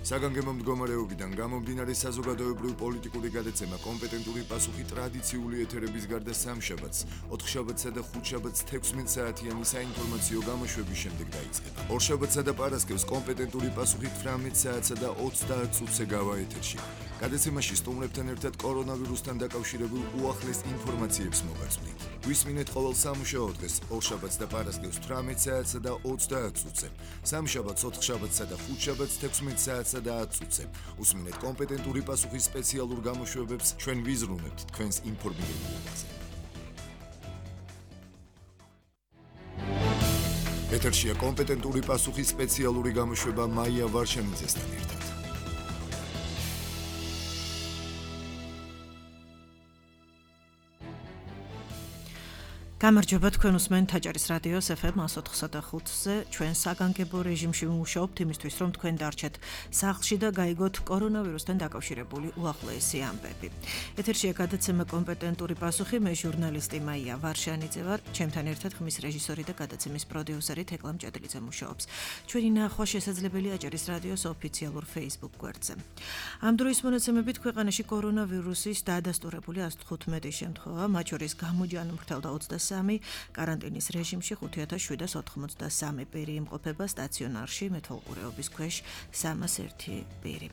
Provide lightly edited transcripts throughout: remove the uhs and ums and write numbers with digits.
საგანგებო მდგომარეობიდან გამომდინარე საზოგადოებრივ პოლიტიკური გადაცემა კომპეტენტური პასუხი ტრადიციული ეთერების გარდა სამშაბათს, 4 შაბათსა და 5 შაბათს 16 საათიანი საინფორმაციო გამოშვების შემდეგ დაიწყება. ორშაბათსა და პარასკევს კომპეტენტური პასუხი 18 საათსა და 30 წუთზე გავა ეთერში. გადაცემაში სტუმრებთან ერთად კორონავირუსთან დაკავშირებულ უახლეს ინფორმაციებს მოგაწვდით. გვისმინეთ ყოველ სამუშაო დღეს, ორშაბათს და პარასკევს 18 საათსა და 30 წუთზე. სამშაბათს, 4 შაბათსა და 5 შაბათს 16 საათსა და 10 წუთზე. უსმინეთ კომპეტენტური პასუხის სპეციალურ გამოშვებებს, ჩვენ ვიზრუნებთ თქვენს ინფორმირებაზე. ეთერშია კომპეტენტური პასუხის სპეციალური გამოშვება მაია ვარშანიძესთან ერთად. გამარჯობა, თქვენ უსმენთ თაჭარის რადიოს FM 104.5-ზე. ჩვენ საგანგებო რეჟიმში ვიმუშაობთ იმისთვის, რომ თქვენ დარჩეთ სახლში და გაიგოთ კორონავირუსთან დაკავშირებული უახლოესი ამბები. ეთერშია გადაცემა კომპეტენტური პასუხი, მე ჟურნალისტი მაია ვარშანიძე ვარ, ჩემთან ერთად ხმის რეჟისორი და გადაცემის პროდიუსერი თეკლა მჭედლიძე მუშაობს. ჩვენი ნახვა შესაძლებელია აჭარის რადიოს ოფიციალურ Facebook გვერდზე. ამ დროის მონაცემებით ქვეყანაში კორონავირუსის დადასტურებული 115 შემთხვევა, მათ შორის გამოჯანმრთელდა 23, კარანტინის რეჟიმში 5783 პირი იმყოფება სტაციონარში, მეთვალყურეობის ქვეშ 301 პირი.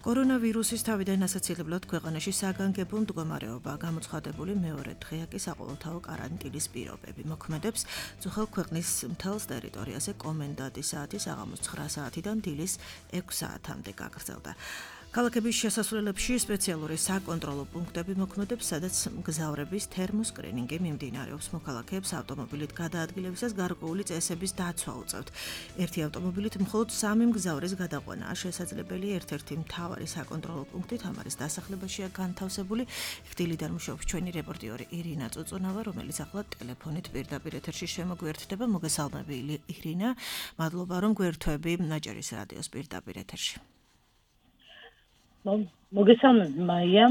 კორონავირუსის თავიდან ასაცილებლად ქვეყანაში საგანგებო მდგომარეობა გამოცხადებული მეორე დღეა კი საყოველთაო კარანტინის პირობები. მოქმედებს ძუხელ ქვეყნის მთელს ტერიტორიაზე კომენდანტის საათი საღამოს 9 საათიდან დილის 6 საათამდე გაგრძელდა. ქალაქების შესასვლელებში სპეციალური საკონტროლო პუნქტები მოქმედებს, სადაც მგზავრების თერმოსკრინინგი მიმდინარეობს. მოქალაქეებს ავტომობილით გადაადგილებისას გარკვეული წესების დაცვა უწევთ. ერთი ავტომობილით მხოლოდ 3 მგზავრის გადაყვანაა შესაძლებელი. ერთ-ერთი მთავარი საკონტროლო პუნქტი თამარის დასახლებაშია განთავსებული. ხდილიდან მუშაობს ჩვენი რეპორტიორი ირინა წუწუნავა, რომელიც ახლა ტელეფონით პირდაპირ ეთერში შემოგვიერთდება. მოგესალმები ირინა, მადლობა რომ გვერდთვები აჭარის რადიოს პირდაპირ ეთერში. მოგესალმებით მაია.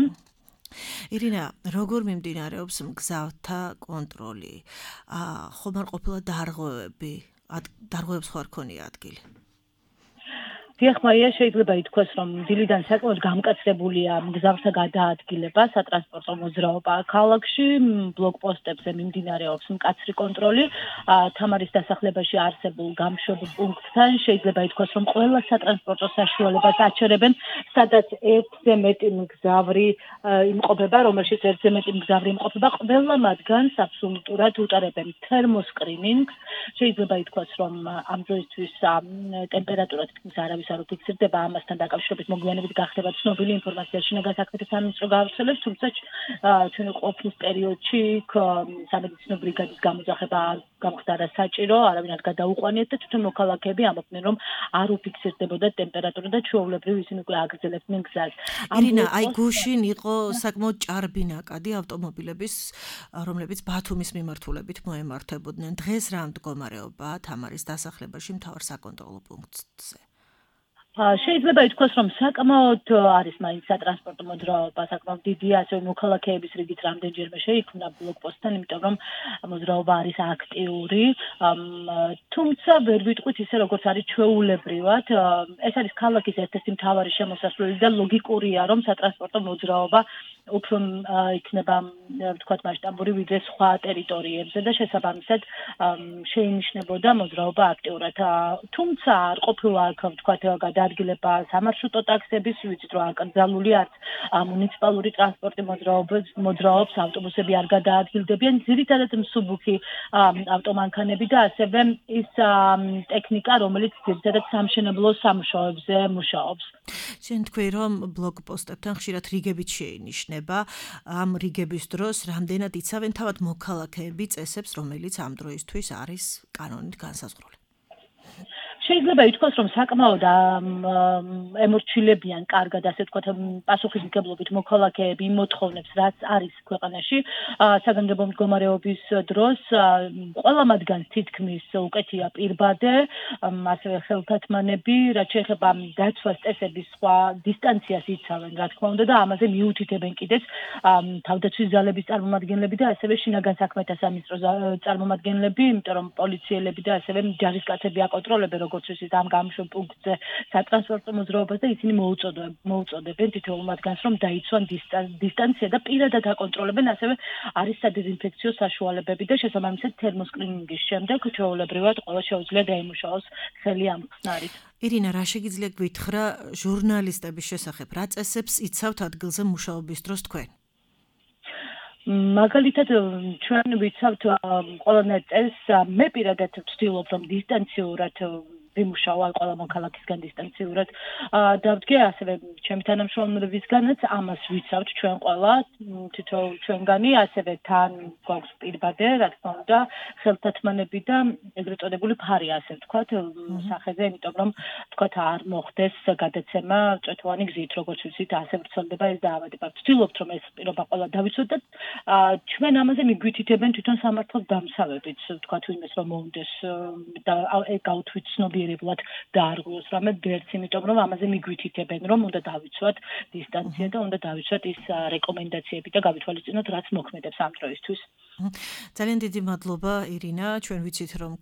ირინა, როგორ მიმდინარეობს მგზავრთა კონტროლი? ხომ არ ყოფილა დარღვევებს ხო არ ქონია ადგილი? დიახ მაია, შეიძლება ითქვას, რომ დილიდან საკმაოდ გამკაცებულია მგზავრთა გადაადგილება, სატრანსპორტო მოძრაობა ქალაქში, ბლოკპოსტებზე მიმდინარეობს მკაცრი კონტროლი. თამარის დასახლებაში არსებულ გამშვებ პუნქტთან შეიძლება ითქვას, რომ ყველა სატრანსპორტო საშუალებას აჩერებენ, სადაც ერთზე მეტი მგზავრი იმყოფება, რომელშიც ერთზე მეტი მგზავრი იმყოფება, ყველა მათგანს აბსოლუტურად უტარებენ თერმოსკრინინგს. შეიძლება ითქვას, რომ ამ დროისთვის ტემპერატურა თითქმის არავის არ უფიქსირდება, ამასთან დაკავშირებით მოგვიანებით გახდება ცნობილი ინფორმაცია შინაგან საქმეთა სამინისტრო გაავრცელებს, თუმცა ჩვენ ყოფნის პერიოდში სამედიცინო ბრიგადის გამოძახება გამხდარა საჭირო, არავინ არ გადაუყვანიათ და თვითონ მოქალაქეები ამბობდნენ, რომ არ უფიქსირდებოდა ტემპერატურა და ჩვეულებრივ ისინი უკვე აგრძელებდნენ გზას. ირინა, აი გუშინ იყო საკმაოდ ჭარბი ნაკადი ავტომობილების, რომლებიც ბათუმის მიმართულებით მოემართებოდნენ. დღეს რა მდგომარეობა თამარის დასახლებაში მთავარ საკონტროლო პუნქტზე? შეიძლება ითქვას, რომ საკმაოდ არის მაინც სატრანსპორტო მოძრაობა, საკმაოდ დიდია, ასევე მოქალაქეების რიგით რამდენჯერმე შეიქმნა ბლოკპოსტთან, იმიტომ რომ მოძრაობა არის აქტიური, თუმცა ვერ ვიტყვით ისე, როგორც არის ჩვეულებრივად. ეს არის ქალაქის ერთ-ერთი მთავარი შემოსასვლელი და ლოგიკურია, რომ სატრანსპორტო მოძრაობა უფრო იქნება, ვთქვათ, მასშტაბური ვიდრე სხვა ტერიტორიებზე და შესაბამისად შეინიშნებოდა მოძრაობა აქტიურად. თუმცა არ ყოფილა აქ, ვთქვათ, გადაადგილება სამარშრუტო ტაქსების, ვიცით რომ აკრძალული არც მუნიციპალური ტრანსპორტი მოძრაობს, ავტობუსები არ გადაადგილდებიან, ძირითადად მსუბუქი ავტომანქანები და ასევე ის ტექნიკა, რომელიც ძირითადად სამშენებლო სამუშაოებზე მუშაობს. შენ თქვი, რომ ბლოკპოსტებთან ხშირად რიგებით შეინიშნება. ამ რიგების დროს რამდენად იცავენ თავად მოქალაქეები წესებს, რომელიც ამ დროისთვის არის კანონით განსაზღვრული? შეიძლება ითქვას, რომ საკმაოდ ემორჩილებიან კარგად, ასე ვთქვათ, პასუხისმგებლობით მოქალაქეები მოთხოვნებს, რაც არის ქვეყანაში საგანგებო მდგომარეობის დროს. ყველა მათგანს თითქმის უკეთია პირბადე, ასევე ხელთათმანები, რაც შეეხება დაცვას წესების სხვა დისტანციას იცავენ, რა თქმა უნდა, და ამაზე მიუთითებენ კიდეც თავდაცვის ძალების წარმომადგენლები და ასევე შინაგან საქმეთა სამინისტროს წარმომადგენლები, იმიტომ რომ პოლიციელები და ასევე ჯარისკაცები აკონტროლებენ როგორც როგორც ვიცით, ამ გამშვებ პუნქტზე სატრანსპორტო მოძრაობას და ისინი მოუწოდებენ თითოეულ მათგანს, რომ დაიცვან დისტანცია და პირადად აკონტროლებენ, ასევე არის სადეზინფექციო საშუალებები და შესაბამისად თერმოსკრინინგის შემდეგ ჩვეულებრივად ყველა შეუძლია დაიმუშაოს ხელი ამ ხსნარით. ირინა, რა შეგიძლია გვითხრა ჟურნალისტების შესახებ? რა წესებს იცავთ ადგილზე მუშაობის დროს თქვენ? მაგალითად, ჩვენ ვიცავთ ყველანაირ წესს, მე პირადად ვცდილობ, რომ დისტანციურად ვიმუშავა ყველა მოქალაქისგან დისტანციურად. დავდგე ასევე ჩემი თანამშრომლებისგანაც ამას ვიცავთ ჩვენ ყველა თითოეულ ჩვენგანი, ასევე თან გვაქვს პირბადე, რა თქმა უნდა, ხელთათმანები და ეგრეთ წოდებული ფარი, ასე ვთქვათ, სახეზე, იმიტომ რომ ვთქვათ არ მოხდეს გადაცემა წვეთოვანი გზით, როგორც ვიცით, ასე ვრცელდება ეს დაავადება. ვცდილობთ, რომ ეს პირობა ყველა დავიცვათ და ჩვენ ამაზე მიგვითითებენ თვითონ სამართალ დამცავებიც, ვთქვათ, ვინმეს რომ მოუნდეს და გავთვით ცნობიერებლად დაარღვიოს რამე ბერც, იმიტომ რომ ამაზე მიგვითითებენ, რომ უნდა დავიცვათ დისტანცია და უნდა დავიცვათ ის რეკომენდაციები და გავითვალისწინოთ, რაც მოქმედებს ამ დროისთვის. ძალიან დიდი მადლობა, ირინა. ჩვენ ვიცით, რომ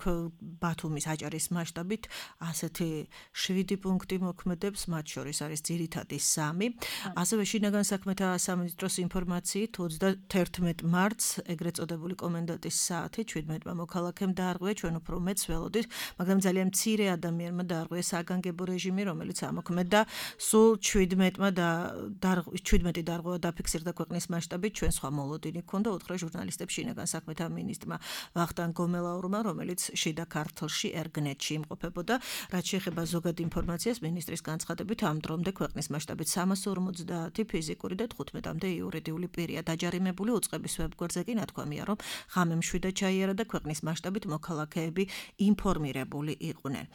ბათუმის აჭარის მასშტაბით ასეთი 7 პუნქტი მოქმედებს, მათ შორის არის ძირითადი 3. ასევე შინაგან საქმეთა სამინისტროს ინფორმაციით 31 მარტს ეგრეთ წოდებული კომენდანტის საათი 17-მა მოქალაქემ დაარღვია, ჩვენ უფრო მეც ველოდით, მაგრამ ძალიან მცირე ადამიანმა დაარღვია საგანგებო რეჟიმი, რომელიც ამოქმედდა. სულ 17 დარღვევა დაფიქსირდა ქვეყნის მასშტაბით, ჩვენ სხვა მოლოდინი გქონდა, უთხრა ჟურნალისტებს შინაგან საქმეთა მინისტრმა ვახტანგ გომელაურმა, რომელიც შიდა ქართლში ერგნეტში იმყოფებოდა. რაც შეეხება ზოგად ინფორმაციას, მინისტრის განცხადებით ამ დრომდე ქვეყნის მასშტაბით 350 ფიზიკური და 15-მდე იურიდიული პირია დაჯარიმებული. უწყების ვებგვერდზე კი ნათქვამია, რომ ღამე მშვიდად ჩაიარა და ქვეყნის მასშტაბით მოქალაქეები ინფორმირებული იყვნენ.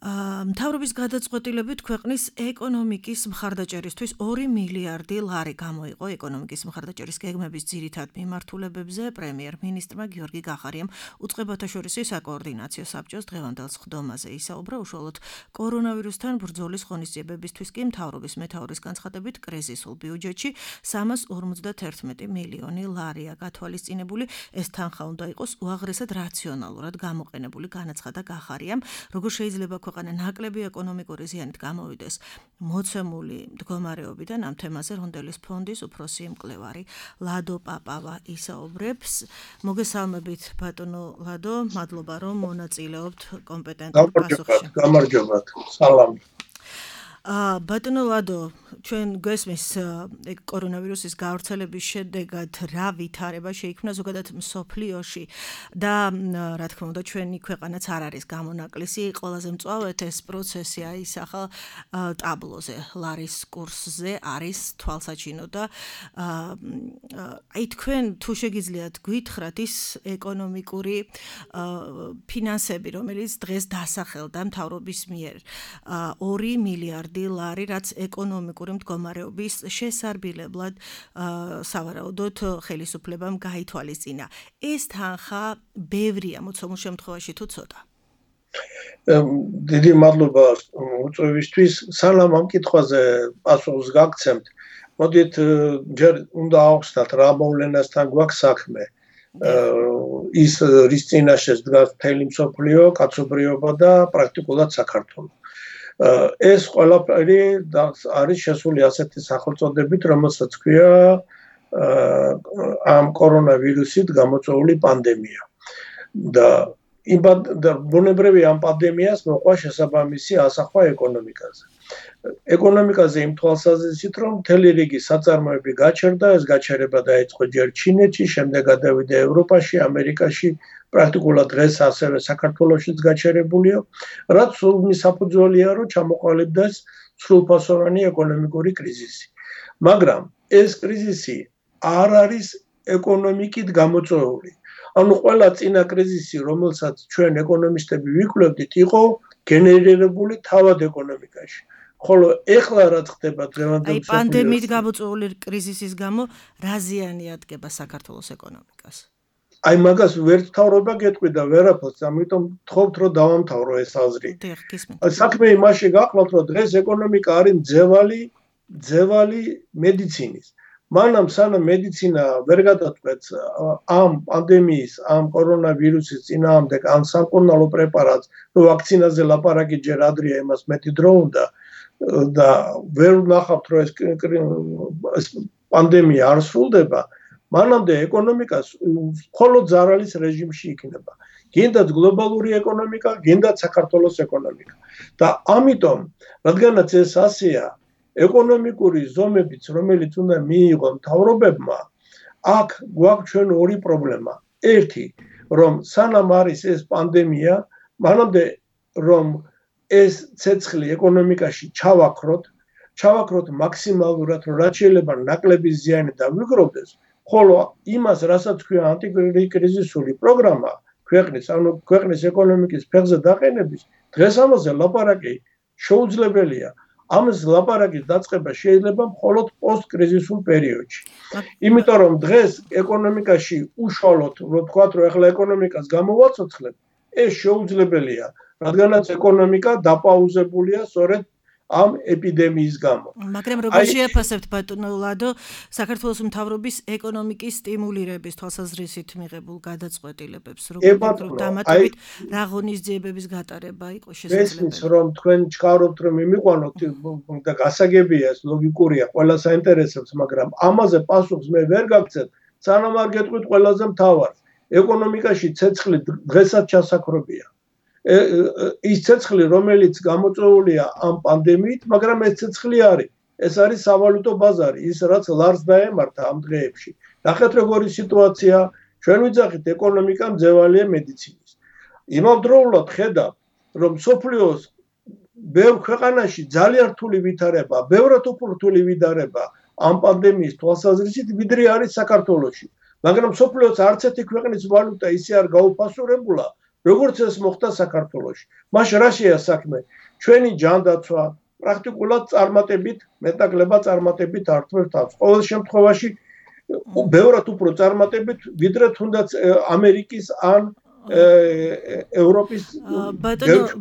მთავრობის გადაწყვეტილებით ქვეყნის ეკონომიკის მხარდაჭერისთვის 2 მილიარდი ლარი გამოიყო ეკონომიკის მხარდაჭერის გეგმების ძირითად მიმართულებებზე. პრემიერ-მინისტრმა გიორგი გახარიამ უწყებათა შორისი საკოორდინაციო საბჭოს დღევანდელ სხდომაზე ისაუბრა. უშუალოდ კორონავირუსთან ბრძოლის ღონისძიებებისთვის კი მთავრობის მეთაურის განცხადებით კრიზისულ ბიუჯეტში 351 მილიონი ლარია გათვალისწინებული. ეს თანხა უნდა იყოს უაღრესად რაციონალურად გამოყენებული, განაცხადა გახარიამ. როგორ შეიძლება ქვეყანა ნაკლები ეკონომიკური ზიანით გამოვიდეს მოცემული მდგომარეობიდან, ამ თემაზე რონდელის ფონდის უფროსი მკვლევარი ლადო პაპავა ისაუბრებს. მოგესალმებით ბატონო ლადო, მადლობა რომ მონაწილეობთ კომპეტენტურ პასუხში. გამარჯობათ, სალამი. ბატონო ლადო, ჩვენ გვესმის კორონავირუსის გავრცელების შედეგად რა ვითარება შეიქმნა ზოგადად მსოფლიოში და რა თქმა უნდა ჩვენი ქვეყანაც არ არის გამონაკლისი. ყველაზე მწვავედ ეს პროცესი აისახა ტაბლოზე, ლარის კურსზე არის თვალსაჩინო და თქვენ თუ შეგიძლიათ გითხრათ ის ეკონომიკური ფინანსები, რომელიც დღეს დასახელდა მთავრობის მიერ 2 მილიარდი ლარი, რაც ეკონომიკური მდგომარეობის შესარბილებლად სავარაუდოდ ხელისუფლებამ გაითვალისწინა. ეს თანხა ბევრია მოცემულ შემთხვევაში თუ ცოტა? დიდი მადლობა უწევისთვის. სალამ ამ კითხვაზე პასუხს გაგცემთ. მოდით ჯერ უნდა ავხსნათ რა მოვლენასთან გვაქვს საქმე. ის რის წინაშეც დგას მთელი მსოფლიო, კაცობრიობა და პრაქტიკულად საქართველო. ეს ყველაფერი არის შესული ასეთი სახელწოდებით, რომელსაც ქვია ამ კორონავირუსით გამოწვეული პანდემია. და ბუნებრივი ამ პანდემიას მოყვა შესაბამისი ასახვა ეკონომიკაზე. ეკონომიკაზე იმ თვალსაზრისით, რომ მთელი რიგი საწარმოები გაჩერდა, ეს გაჩერება დაიწყო ჯერ ჩინეთში, შემდეგ გადავიდა ევროპაში, ამერიკაში, პრაქტიკულად დღეს ასევე საქართველოშიც გაჩერებულია, რაც სულ საფუძველია, რომ ჩამოყალიბდეს სრულფასოვანი ეკონომიკური კრიზისი. მაგრამ ეს კრიზისი არ არის ეკონომიკით გამოწვეული. ანუ ყველა წინა კრიზისი, რომელსაც ჩვენ ეკონომისტები ვიკვლევდით, იყო გენერირებული თავად ეკონომიკაში. ხოლო ეხლა რაც ხდება დღევანდელ მსოფლიოში, პანდემიით გამოწვეული კრიზისის გამო რა ზიანი ადგება საქართველოს ეკონომიკას? აი მაგას ვერ თავრობა გეტყვი და ვერაფერს, ამიტომ ვთხოვთ რომ დავამთავრო ეს აზრი. საქმე იმაში გაყლავთ, რომ დღეს ეკონომიკა არის ძევალი მედიცინის. მანამ სანამ მედიცინა ვერ გადაწყვეტს ამ პანდემიის, ამ კორონავირუსის წინააღმდეგ ან სამკურნალო პრეპარატს, რომ ვაქცინაზე ლაპარაკი ჯერ ადრეა, იმას მეტი დრო უნდა და ვერ ვნახავთ, რომ ეს პანდემია არ სრულდება, მანამდე ეკონომიკა მხოლოდ ზარალის რეჟიმში იქნება. გინდათ გლობალური ეკონომიკა, გინდათ საქართველოს ეკონომიკა. და ამიტომ, რადგანაც ეს ასეა, ეკონომიკური ზომებიც, რომელიც უნდა მიიღო მთავრობებმა, აქ გვაქვს ჩვენ ორი პრობლემა. ერთი, რომ სანამ არის ეს პანდემია, მანამდე რომ ეს ცეცხლი ეკონომიკაში ჩავაქროთ მაქსიმალურად, რომ რაც შეიძლება ნაკლები ზიანი დავიგროვდეს, ხოლო იმას, რასაც ქვია ანტიკრიზისული პროგრამა ქვეყნის ეკონომიკის ფეხზე დაყენების, დღეს ამაზე ლაპარაკი შეუძლებელია. ამას ლაპარაკის დაწყება შეიძლება მხოლოდ პოსტკრიზისულ პერიოდში. იმიტომ რომ დღეს ეკონომიკაში უშუალოდ, რომ თქვათ, რომ ახლა ეკონომიკას გამოვაცოცხლებ, ეს შეუძლებელია, რადგანაც ეკონომიკა დაპაუზებულია სწორედ ამ ეპიდემიის გამო. მაგრამ როგორ შეაფასებთ ბატონო ლადო საქართველოს მთავრობის ეკონომიკის სტიმულირების თვალსაზრისით მიღებულ გადაწყვეტილებებს, როგორც დამატებით რა ღონისძიებების გატარება იყო შესაძლებელი? ესმის რომ თქვენ ჩქარობთ რომ იმიყვანოთ და გასაგებია ეს ლოგიკურია, ყველა საინტერესებს, მაგრამ ამაზე პასუხს მე ვერ გაგცემ, სანამ არ გეტყვით ყველაზე მთავარს. ეკონომიკაში ცეცხლი დღესაც ჩასაქრობია. ის ცეცხლი, რომელიც გამოწვეულია ამ პანდემიით, მაგრამ ეს ცეცხლი არის. ეს არის სავალუტო ბაზარი, ის რაც ლარს დაემართა ამ დღეებში. ნახეთ როგორი სიტუაცია, ჩვენ ვიძახით ეკონომიკა მძევალია მედიცინის. იმავდროულად ხედავ, რომ სოფლიოს ბევრ ქვეყანაში ძალიან რთული ვითარება, ბევრად უფრო რთული ვითარება ამ პანდემიის თვალსაზრისით, ვიდრე არის საქართველოში. მაგრამ სოფლიოს არც ერთი ქვეყნის ვალუტა ისე არ გაუფასურებულა, როგორც ეს მოხდა საქართველოში. მაშინ რა შეა საქმე? ჩვენი ჯანდაცვა პრაქტიკულად წარმატებით, მეტნაკლება წარმატებით ართმევს თავს. ყოველ შემთხვევაში ბევრად უფრო წარმატებით, ვიდრე თუნდაც ამერიკის ან ევროპის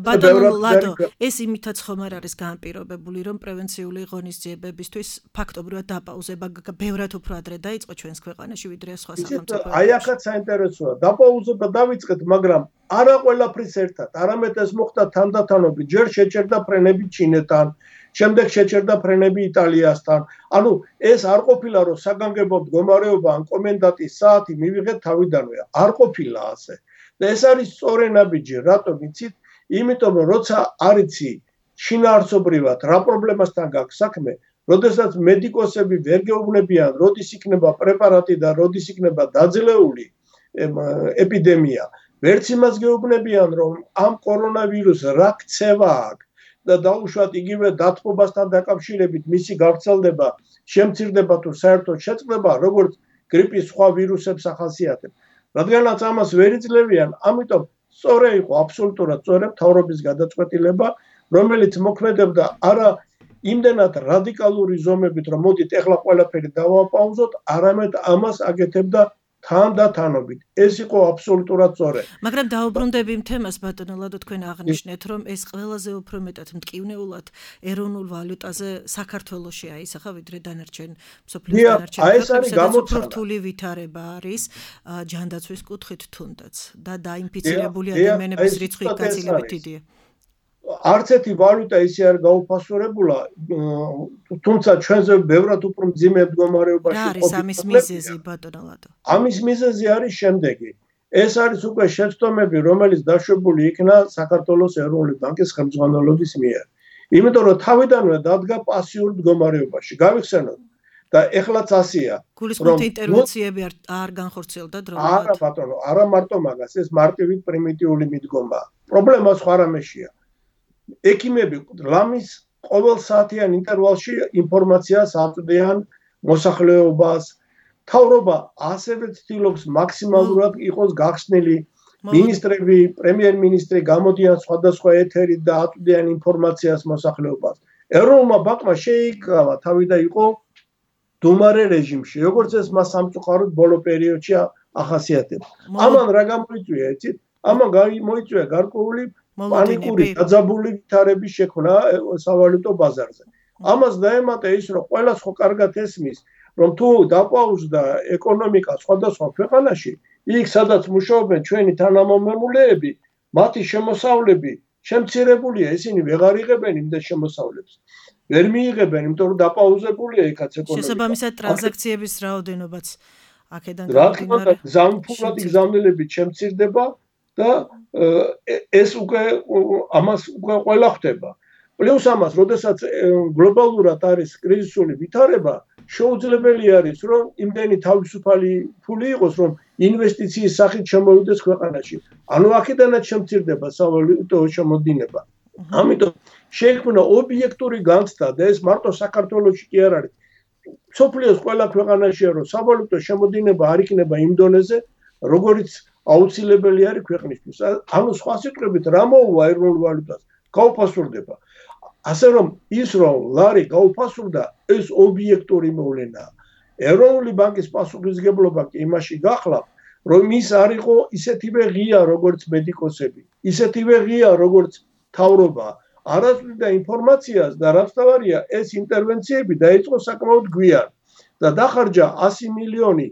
ბატონო ლადო, ეს იმითაც ხომ არ არის განპირობებული, რომ პრევენციული ღონისძიებებისთვის ფაქტობრივად დაპაუზება ბევრად უფრო ადრე დაიწყო ჩვენს ქვეყანაში, ვიდრე სხვა სახელმწიფოებში. აი ახაც საინტერესოა, დაპაუზება დავიწყეთ, მაგრამ არა ყველაფრის ერთად, არამედ ეს მოხდა თანდათანობით, ჯერ შეჭერდა ფრენები ჩინეთთან, შემდეგ შეჭერდა ფრენები იტალიასთან. ანუ ეს არ ყოფილა, რომ საგანგებო მდგომარეობა ან კომენდანტის საათი მივიღეთ თავიდანვე, არ ყოფილა ასე. და ეს არის სწორი ნაბიჯი, რატომ იცით? იმიტომ რომ როცა არიცი შინაარსობრივად რა პრობლემასთან გაქვს საქმე, როდესაც მედიკოსები ვერ გეუბნებიან, როდის იქნება პრეპარატი და როდის იქნება დაძლეული ეპიდემია, ვერც იმას გეუბნებიან, რომ ამ კორონავირუსს რა ქცევა აქვს და დაუშვათ იგივე დათბობასთან დაკავშირებით მისი გავრცელდება, შემცირდება თუ საერთოდ შეწყდება, როგორც გრიპის სხვა ვირუსებს ახასიათებს. რადგანაც ამას ვერ იძლევიან, ამიტომ სწორი იყო აბსოლუტურად სწორი მთავრობის გადაწყვეტილება, რომელიც მოქმედებდა არა იმდენად რადიკალური ზომებით, რომ მოდით ეხლა ყველაფერი დავაპაუზოთ, არამედ ამას აკეთებდა თანდათანობით. ეს იყო აბსოლუტურად სწორი. მაგრამ დაუბრუნდები იმ თემას, ბატონო ლადო, თქვენ აღნიშნეთ, რომ ეს ყველაზე უფრო მეტად მტკივნეულად ეროვნულ ვალუტაზე საქართველოში აისახა, ვიდრე დანარჩენ მსოფლიოს დანარჩენ ქვეყნებში, უფრო რთული ვითარება არის ჯანდაცვის კუთხით თუნდაც და დაინფიცირებული ადამიანების რიცხვი გაცილებით დიდია. არც ერთი ვალუტა ისე არ გაუფასურებულა, თუმცა ჩვენზე ბევრად უფრო მძიმე მდგომარეობაში ყოფილი. რა არის ამის მიზეზი, ბატონო ლადო? ამის მიზეზი არის შემდეგი. ეს არის უკვე შეცდომები, რომელიც დაშვებული იქნა საქართველოს ეროვნული ბანკის ხელმძღვანელობის მიერ. იმიტომ რომ თავიდანვე დადგა პასიურ მდგომარეობაში. გავიხსენოთ და ეხლაც ასეა. გულისხმობთ ინტერვენციები არ განხორციელდა დროულად? არა ბატონო, არა მარტო მაგას, ეს მარტივით პრიმიტიული მიდგომაა. პრობლემა სხვა რამეშია. ექიმები ლამის ყოველ საათიან ინტერვალში ინფორმაციას აწვდიან მოსახლეობას. მთავრობა ასევე ცდილობს მაქსიმალურად იყოს გახსნილი. მინისტრები, პრემიერ-მინისტრი გამოდიან სხვადასხვა ეთერით და აწვდიან ინფორმაციას მოსახლეობას. ეროვნულმა ბანკმა შეიკავა თავი და იყო დუმარე რეჟიმში, როგორც ეს მას სამწუხაროდ ბოლო პერიოდში ახასიათებს. ამან რა გამოიწვია, იცით? ამან გამოიწვია გარკვეული პანიკური დაძაბული ვითარების შექმნა სავალუტო ბაზარზე. ამას დაემატა ის, რომ ყველას ხო კარგად ესმის, რომ თუ დაპაუზდა ეკონომიკა სხვადასხვა ქვეყანაში, იქ სადაც მუშაობენ ჩვენი თანამომამულეები, მათი შემოსავლები შემცირებულია, ისინი ვეღარ იღებენ იმდენ შემოსავლებს. ვერ მიიღებენ, იმიტომ რომ დაპაუზებულია იქაც ეკონომიკა. შესაბამისად ტრანზაქციების რაოდენობაც აქედან გამომდინარე, გზამფრთობი გზავნილებით შემცირდება და ეს უკვე ამას უკვე ყველა ხვდება. პლუს ამას, როდესაც გლობალურად არის კრიზისული ვითარება, შეუძლებელი არის, რომ იმდენი თავისუფალი ფული იყოს, რომ ინვესტიციის სახით შემოვიდეს ქვეყანაში. ანუ აქედანაც შემცირდება სავალუტო შემოდინება. ამიტომ შეიქმნა ობიექტური განცდა და ეს მარტო საქართველოში კი არ არის. სოფლიოს ყველა ქვეყანაშია, რომ სავალუტო შემოდინება არ იქნება იმ დონეზე, როგორც აუცილებელი არის ქვეყნისთვის. ანუ სხვა სიტყვებით, რა მოუვა ეროვნულ ვალუტას? გაუფასურდება. ასე რომ ის რომ ლარი გაუფასურდა, ეს ობიექტური მოვლენაა. ეროვნული ბანკის პასუხისმგებლობა კი იმაში გახლავთ, რომ ის არ იყო ისეთივე ღია, როგორც მედიკოსები, ისეთივე ღია, როგორც მთავრობა. არასწორდა ინფორმაციას და რაც თავარია, ეს ინტერვენციები დაიწყო საკმაოდ გვიან და დახარჯა 100 მილიონი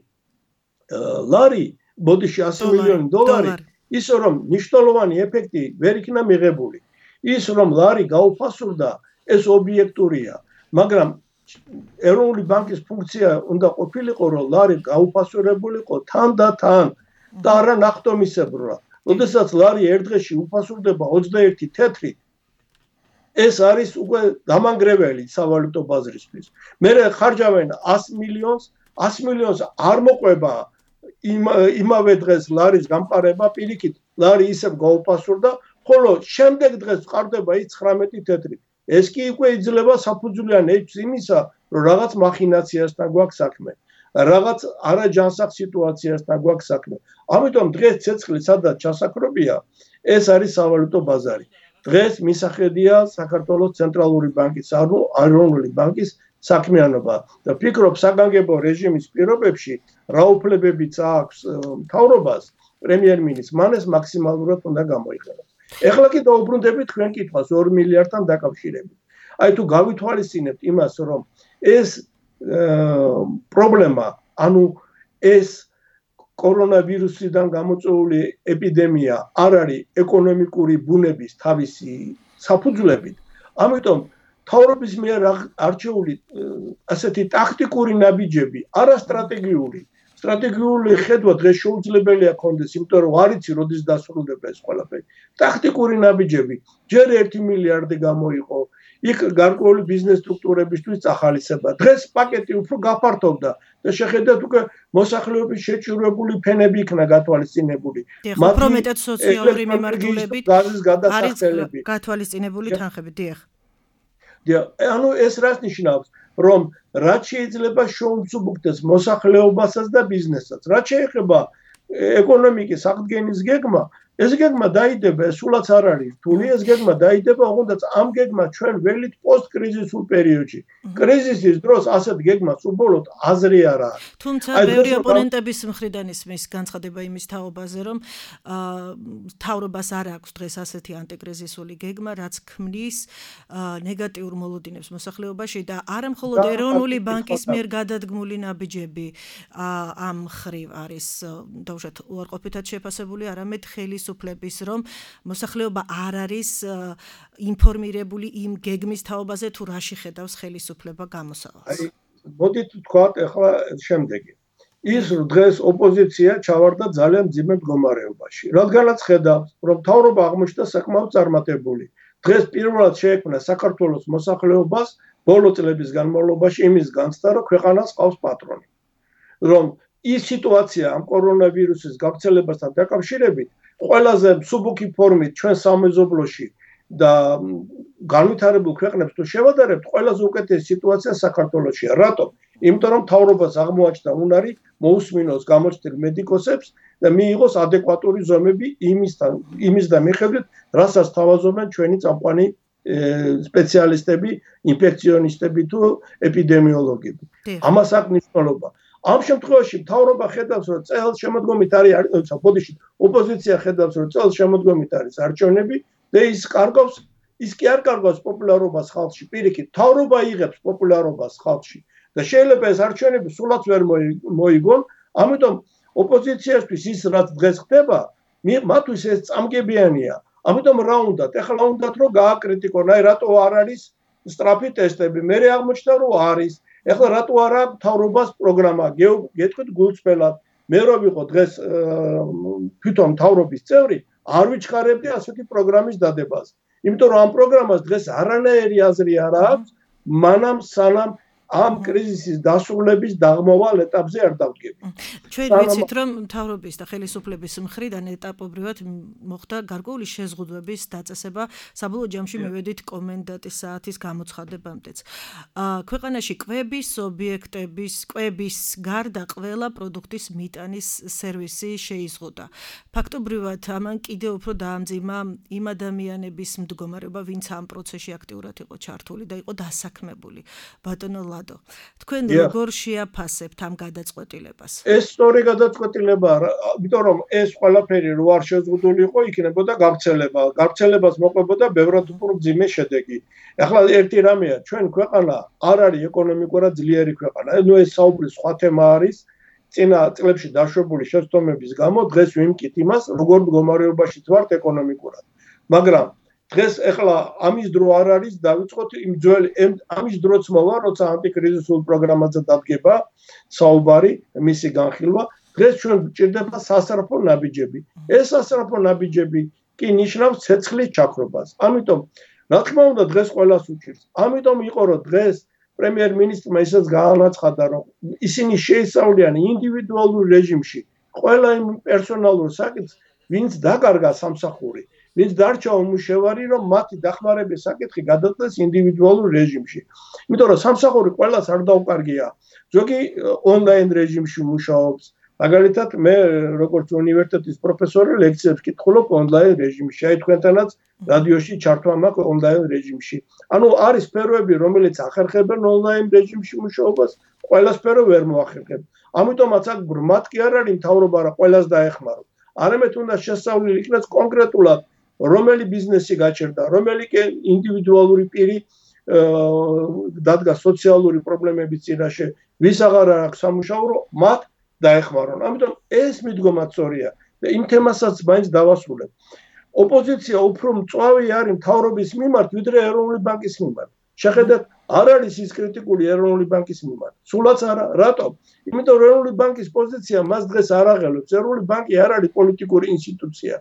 ლარი, ბოდიში 100 მილიონი დოლარი, ისე რომ მნიშვნელოვანი ეფექტი ვერ იქნა მიღებული. ის რომ ლარი გაუფასურდა, ეს ობიექტურია, მაგრამ ეროვნული ბანკის ფუნქცია უნდა ყოფილიყო, რომ ლარი გაუფასურებულიყო თან და თან და არა ნახტომისებრად. როდესაც ლარი ერთ დღეში უფასურდება 21 თეთრით, ეს არის უკვე დამანგრეველი სავალუტო ბაზრისთვის. მერე ხარჯავენ 100 მილიონს, 100 მილიონს არ მოყვება იმავე დღეს ლარის გამყარება, პირიქით ლარი ისევ გაუფასურდა, ხოლო შემდეგ დღეს ყარდება ის 19 თეთრით. ეს კი უკვე იძლევა საფუძვლიან ეჭვს იმისა, რომ რაღაც მახინაციასთან გვაქვს საქმე, რაღაც არაჯანსაღ სიტუაციასთან გვაქვს საქმე. ამიტომ დღეს ცეცხლი სადაც ჩასაქრობია, ეს არის სავალუტო ბაზარი. დღეს მისახედია საქართველოს ცენტრალური ბანკის, ეროვნული ბანკის საქმიანობა და ფიქრობ საგანგებო რეჟიმის პირობებში რა უფლებებიც აქვს მთავრობას, პრემიერ-მინისტრს, მან ეს მაქსიმალურად უნდა გამოიყენოს. ეხლა კი დაუბრუნდებით თქვენ კითხვას 2 მილიარდთან დაკავშირებით. აი თუ გავითვალისწინებთ იმას, რომ ეს პრობლემა, ანუ ეს კორონავირუსიდან გამოწვეული ეპიდემია არ არის ეკონომიკური ბუნების თავისი საფუძვლებით, ამიტომ მთავრობის მიერ არჩეული ასეთი ტაქტიკური ნაბიჯები, არასტრატეგიული, სტრატეგიული ხედვა დღეს შეუძლებელია ქონდეს, იმიტომ რომ არ იცი როდის დასრულდება ეს ყველაფერი. ტაქტიკური ნაბიჯები, ჯერ 1 მილიარდი გამოიყო, იქ გარკვეული ბიზნეს სტრუქტურებისთვის წახალისება. დღეს პაკეტი უფრო გაფართოვდა და შეხედათ უკვე მოსახლეობის შეჭირვებული ფენები იქნა გათვალისწინებული. უფრო მეტად სოციალური მიმართულებით არის გათვალისწინებული თანხები, დიახ. ანუ ეს რას ნიშნავს, რომ რაც შეიძლება შეუმსუბუქდეს მოსახლეობასაც და ბიზნესსაც. რაც შეეხება ეკონომიკის აღდგენის გეგმა, ეს გეგმა დაიდება, სულაც არ არის რთული, ეს გეგმა დაიდება, ოღონდაც ამ გეგმა ჩვენ ველით პოსტკრიზისულ პერიოდში. კრიზისის დროს ასეთ გეგმას უბოლოდ აზრი არ არის. თუმცა ბევრი ოპონენტების მხრიდან ისმის განცხადება იმის თაობაზე, რომ მთავრობას არ აქვს დღეს ასეთი ანტიკრიზისული გეგმა, რაც ქმნის ნეგატიურ მოლოდინებს მოსახლეობაში და არა მხოლოდ ეროვნული ბანკის მიერ გადადგმული ნაბიჯები ამ მხრივ არის დაუშვათ უარყოფითად შეფასებული, არამედ ხელისუფლების, რომ მოსახლეობა არ არის ინფორმირებული იმ გეგმის თაობაზე, თუ რაში ხედავს ხელისუფლება გამოსავალს. მოდით ვთქვათ ახლა შემდეგი. ის დღეს ოპოზიცია ჩავარდა ძალიან მძიმე მდგომარეობაში. რადგანაც ხედავს, რომ მთავრობა აღმოჩნდა საკმაოდ წარმატებული. დღეს პირველად შეექმნა საქართველოს მოსახლეობას ბოლო წლების განმავლობაში იმის განცდა, რომ ქვეყანას ყავს პატრონი. რომ ის სიტუაცია ამ კორონავირუსის გავრცელებასთან დაკავშირებით ყველაზე მსუბუქი ფორმით ჩვენ სამეზობლოში და განვითარებულ ქვეყნებს თუ შევადარებთ, ყველაზე უკეთესი სიტუაცია საქართველოშია. რატომ? იმიტომ რომ მთავრობას აღმოაჩნდა უნარი მოусმინოს გამოჩნდნენ მედიკოსებს და მიიღოს ადეკვატური ზომები იმის და მიხედვით, რასაც თავაზობენ ჩვენი წამყვანი სპეციალისტები, ინფექციონისტები თუ ეპიდემიოლოგები. ამას აქვს მნიშვნელობა. ამ შემთხვევაში მთავრობა ხედავს, რომ წელს შემოდგომით არის, ბოდიში, ოპოზიცია ხედავს, რომ წელს შემოდგომით არის არჩევნები და ის კი არ კარგავს პოპულარობას ხალხში. პირიქით, მთავრობა იღებს პოპულარობას ხალხში. და შეიძლება ეს არჩევნები სულაც ვერ მოიგონ, ამიტომ ოპოზიციასთვის ის რაც დღეს ხდება, მათთვის ეს წამგებიანია. ამიტომ რა უნდათ? ეხლა უნდათ რომ გააკრიტიკონ, აი რატო არ არის სწრაფი ტესტები, მე აღმოჩნდა რომ არის. ეხლა რატო არა მთავრობას პროგრამა? გეტყვით გულწრფელად, მე რო ვიყო დღეს თვითონ მთავრობის წევრი, არ ვიჩქარებდი ასეთი პროგრამის დადებას. იმიტომ რომ ამ პროგრამას დღეს არანაირი აზრი არ აქვს, მანამ სანამ ამ კრიზისის დასრულების დაღმოვალ ეტაპზე არ დავდგები. ჩვენ ვიცით რომ მთავრობის და ხელისუფლების მხრიდან ეტაპობრივად მოხდა გარკვეული შეზღუდვების დაწესება, საბოლოო ჯამში მივედით კომენდანტის საათის გამოცხადებამდეც. ქვეყანაში კვების ობიექტების კვების გარდა ყველა პროდუქტის მიტანის სერვისი შეიზღუდა. ფაქტობრივად ამან კიდევ უფრო დაამძიმა იმ ადამიანების მდგომარეობა, ვინც ამ პროცესში აქტიურად იყო ჩართული და იყო დასაქმებული. ბატონო თქვენ როგორ შეაფასებთ ამ გადაწყვეტილებას? ეს სწორი გადაწყვეტილებაა, იმიტომ რომ ეს ყველაფერი რო არ შეზღუდული იყო, იქნებოდა გავრცელება. გავრცელებას მოყვებოდა ბევრად უფრო მძიმე შედეგი. ახლა ერთი რამეა, ჩვენ ქვეყანა არ არის ეკონომიკურად ძლიერი ქვეყანა. ეს საუბრის სხვა თემა არის. წინა წლებში დაშვებული შეცდომების გამო დღეს ვიმკით იმას, როგორ მდგომარეობაში ვართ ეკონომიკურად. მაგრამ დღეს ეხლა ამის დრო არ არის დავიწყოთ იმ ძველი ამის დროც მოვა როცა ანტიკრიზისულ პროგრამაზე დადგება საუბარი მისი განხილვა დღეს ჩვენ გვჭირდება სასწრაფო ნაბიჯები ეს სასწრაფო ნაბიჯები კი ნიშნავს ცეცხლის ჩაქრობას ამიტომ რა თქმა უნდა დღეს ყველას უჭირს ამიტომ იყო რომ დღეს პრემიერ-მინისტრმა ისიც გაანაცხადა რომ ისინი შეისწავლიან ინდივიდუალურ რეჟიმში ყველა იმ პერსონალურ საკითხს ვინც დაკარგა სამსახური ვინც დარჩა უმუშევარი, რომ მათი დახმარების საკითხი გადაწყვეტეს ინდივიდუალურ რეჟიმში. იმიტომ რომ სამსახური ყველას არ დაუკარგია. ზოგი ონლაინ რეჟიმში მუშაობს. მაგალითად, მე როგორც უნივერსიტეტის პროფესორი ლექციებს ვკითხულობ ონლაინ რეჟიმში. აი თქვენთანაც რადიოში ჩართვა მაქვს ონლაინ რეჟიმში. ანუ არის სფეროები, რომელიც ახერხებენ ონლაინ რეჟიმში მუშაობას, ყველა სფერო ვერ მოახერხებ. ამიტომაც აქ ბრმად კი არ არის მთავრობა რა ყველას დაეხმაროს. არამედ უნდა შესწავლილი იქნას კონკრეტულად რომელი ბიზნესი გაჩერდა, რომელი ინდივიდუალური პირი დადგა სოციალური პრობლემების წინაშე, ვის აღარ აქვს სამუშაო, მათ დაეხმარონ. ამიტომ ეს მიდგომა სწორია და იმ თემასაც მაინც დავასრულებ. ოპოზიცია უფრო მწვავე არის მთავრობის მიმართ, ვიდრე ეროვნული ბანკის მიმართ. შეხედეთ, არ არის ის კრიტიკული ეროვნული ბანკის მიმართ. სულაც არა, რატომ? იმიტომ რომ ეროვნული ბანკის პოზიცია მას დღეს არ აღელვებს. ეროვნული ბანკი არ არის პოლიტიკური ინსტიტუცია.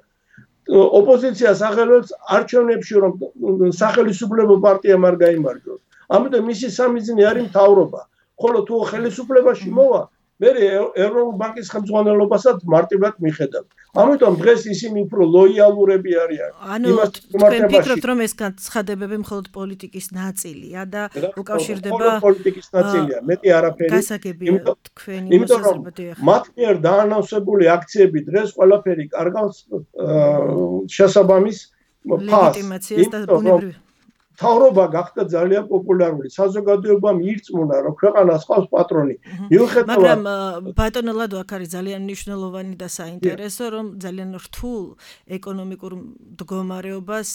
ოპოზიციას აღელვებს არჩევნებში რომ სახელმწიფო პარტიამ არ გაიმარჯვოს. ამიტომ მისი სამიზნე არის მთავრობა. ხოლო თუ ხელისუფლებაში მოვა, მე ეროვნულ ბანკის ხელმძღვანელობასაც მარტივად მიხედავ. ამიტომ დღეს ისინი უფრო ლოიალურები არიან. ანუ თქვენ ფიქრობთ რომ ეს განცხადებები მხოლოდ პოლიტიკის ნაწილია და უკავშირდება პოლიტიკის ნაწილია, მეტი არაფერი. გასაგებია თქვენი მოსაზრება. მათ მიერ დაანონსებული აქციები დღეს ყველაფერი კარგავს შესაბამის ლეგიტიმაციას და ბუნებრივ მთავრობა გახდა ძალიან პოპულარული. საზოგადოებამ ირწმუნა, რომ ქვეყანას ყავს პატრონი. მაგრამ ბატონო ლადო აქ არის ძალიან მნიშვნელოვანი და საინტერესო, რომ ძალიან რთულ ეკონომიკურ მდგომარეობას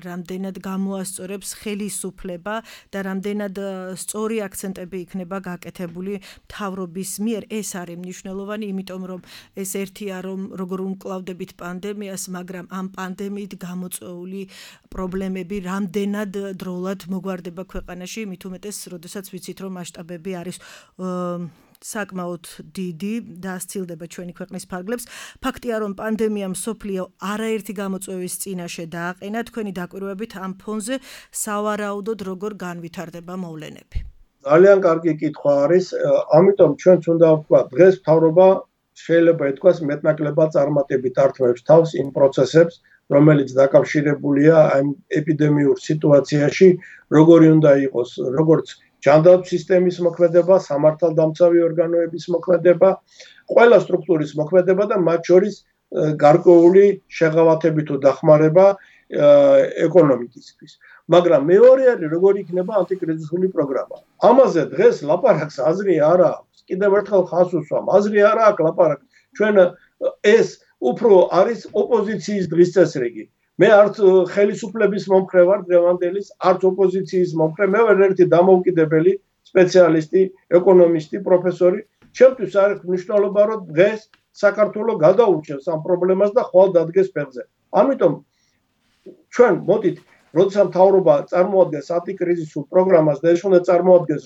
რამდენად გამოასწორებს ხელისუფლება და რამდენად სწორი აქცენტები იქნება გაკეთებული მთავრობის მიერ. ეს არის მნიშვნელოვანი, იმიტომ რომ ეს ერთია, რომ როგორ უმკლავდებით პანდემიას, მაგრამ ამ პანდემიით გამოწვეული პრობლემები რამდენად დროულად მოგვარდება ქვეყანაში, მით უმეტეს, როდესაც ვიცით, რომ მასშტაბები არის საკმაოდ დიდი და ასცილდება ჩვენი ქვეყნის ფარგლებს. ფაქტია, რომ პანდემიამ მსოფლიო არაერთი გამოწვევის წინაშე დააყენა. თქვენი დაკვირვებით ამ ფონზე სავარაუდოდ როგორ განვითარდება მოვლენები? ძალიან კარგი კითხვა არის, ამიტომ ჩვენც უნდა ვთქვათ, დღეს მთავრობა შეიძლება ითქვას მეტნაკლებად წარმატებით ართმევს თავს იმ პროცესებს, რომელიც დაკავშირებულია ამ ეპიდემიურ სიტუაციაში, როგორი უნდა იყოს, როგორც ჯანდაცვის სისტემის მოქმედება, სამართალდამცავი ორგანოების მოქმედება, ყველა სტრუქტურის მოქმედება და მათ შორის გარკვეული შეღავათები თუ დახმარება ეკონომიკისთვის. მაგრამ მეორე არის, როგორი იქნება ანტიკრიზისული პროგრამა. ამაზე დღეს ლაპარაკს აზრი არ აქვს. კიდევ ერთხელ ხაზს უსვამ, აზრი არ აქვს ლაპარაკს. ჩვენ ეს უფრო არის ოპოზიციის დღის წესრიგი. მე არც ხელისუფლების მომხრე ვარ დღევანდელის, არც ოპოზიციის მომხრე, მე ვარ ერთი დამოუკიდებელი სპეციალისტი, ეკონომისტი, პროფესორი. ჩემთვის არ აქვს მნიშვნელობა, რომ დღეს საქართველოს გადაურჩევს ამ პრობლემას და ხვალ დადგეს ფეხზე. ამიტომ ჩვენ მოდით, როდესაც მთავრობა წარმოადგენს ანტიკრიზისულ პროგრამას და ეს უნდა წარმოადგენს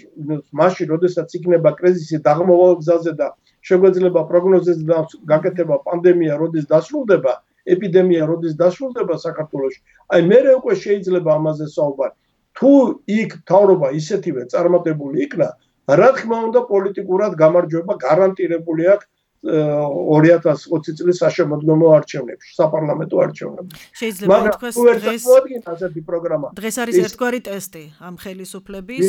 მაშინ, როდესაც იქნება კრიზისი დაღმოვალ გზაზე და შეგვეძლება პროგნოზებზე გაკეთება პანდემია, როდის დასრულდება, ეპიდემია, როდის დასრულდება საქართველოში. აი მე უკვე შეიძლება ამაზე საუბარი. თუ იქ მთავრობა ისეთივე წარმატებული იქნა, რა თქმა უნდა პოლიტიკურად გამარჯვება გარანტირებული აქვს 2020 წლის საშემოდგომო არჩევნებში, საპარლამენტო არჩევნებში. შეიძლება ითქვას დღეს არის ერთგვარი ტესტი ამ ხელისუფლების,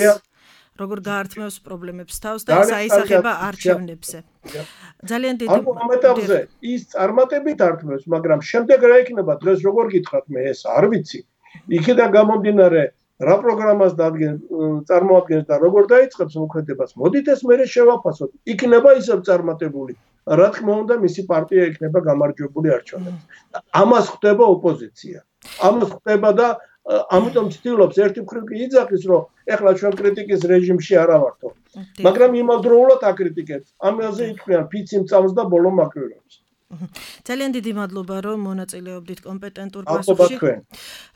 როგორ გაართმევს პრობლემებს თავს და საისახება არჩევნებზე. ძალიან დიდი ამ ეტაპზე ის წარმატებით ართმევს, მაგრამ შემდეგ რა იქნება დღეს როგორ გითხრათ მე ეს არ ვიცი. იქიდან გამომდინარე რა პროგრამას წარმოადგენს და როგორ დაიწყებს მოქმედებას, მოდით ეს მერე შევაფასოთ. იქნება ისევ წარმატებული. რა თქმა უნდა, მისი პარტია იქნება გამარჯვებული არჩევნებში. ამას ხვდება ოპოზიცია. ამას ხვდება და ამიტომ ცდილობს ერთი მხრივ კი იძახის, რომ ეხლა ჩვენ კრიტიკის რეჟიმში არ ავართო. მაგრამ იმავდროულად აკრიტიკებს. ამაზე ითქვიან ფიცი მწამს და ბოლო მაკრირებს. ძალიან დიდი მადლობა, რომ მონაწილეობდით კომპეტენტურ პასუხში.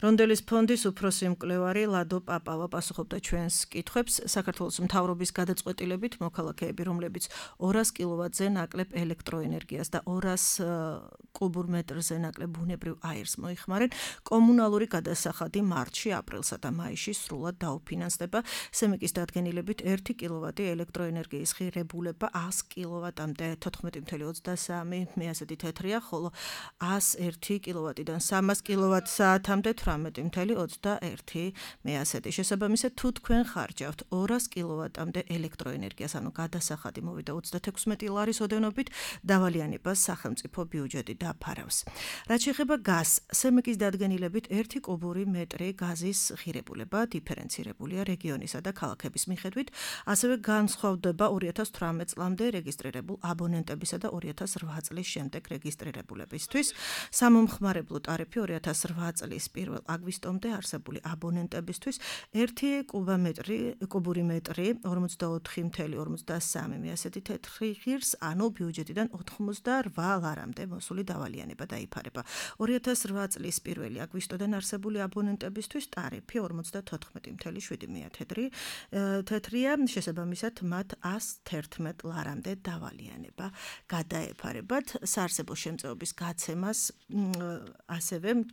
რონდელის ფონდის უფროსი მკვლევარი ლადო პაპავა პასუხობდა ჩვენს კითხვებს. საქართველოს მთავრობის გადაწყვეტილებით მოქალაქეები, რომლებიც 200 კილოვატზე ნაკლებ ელექტროენერგიას და 200 კუბურ მეტრზე ნაკლებ ბუნებრივ აირს მოიხმარენ, კომუნალური გადასახადი მარტში, აპრილსა და მაისში სრულად დაუფინანსდება. სემიკის დადგენილებით 1 კილოვატი ელექტროენერგიის ღირებულება 100 კილოვატამდე 14.23 მეასე თეთრია, ხოლო 101 კილოვატიდან 300 კილოვატ-საათამდე 18.21 მეასეთი. შესაბამისად, თუ თქვენ ხარჯავთ 200 კილოვატამდე ელექტროენერგიას, ანუ გადასახადი მოვიდა 36 ლარის ოდენობით, დავალიანებას სახელმწიფო ბიუჯეტი დაფარავს. რაც შეეხება გაზს, სემიკის დადგენილებით 1 კუბური მეტრი გაზის ღირებულება დიფერენცირებულია რეგიონისა და ქალაქების მიხედვით, ასევე განსხვავდება 2018 წლამდე რეგისტრირებულ აბონენტებისა და 2008 წლის შემდეგ რეგისტრირებულებისთვის. სამომხმარებლო ტარიფი 2008 წლის 1 აგვისტომდე არსებული აბონენტებისთვის 1 კუბური მეტრი 44.53 მეასეთი თეთრი ღირს, ანუ ბიუჯეტიდან 88 ლარამდე მოსული დავალიანება დაიფარება. 2008 წლის 1 აგვისტოდან არსებული აბონენტებისთვის ტარიფი 54.7 თეთრია, შესაბამისად მათ 111 ლარამდე დავალიანება გადაეფარებათ. საარსებო შემწეობის გაცემას ასევე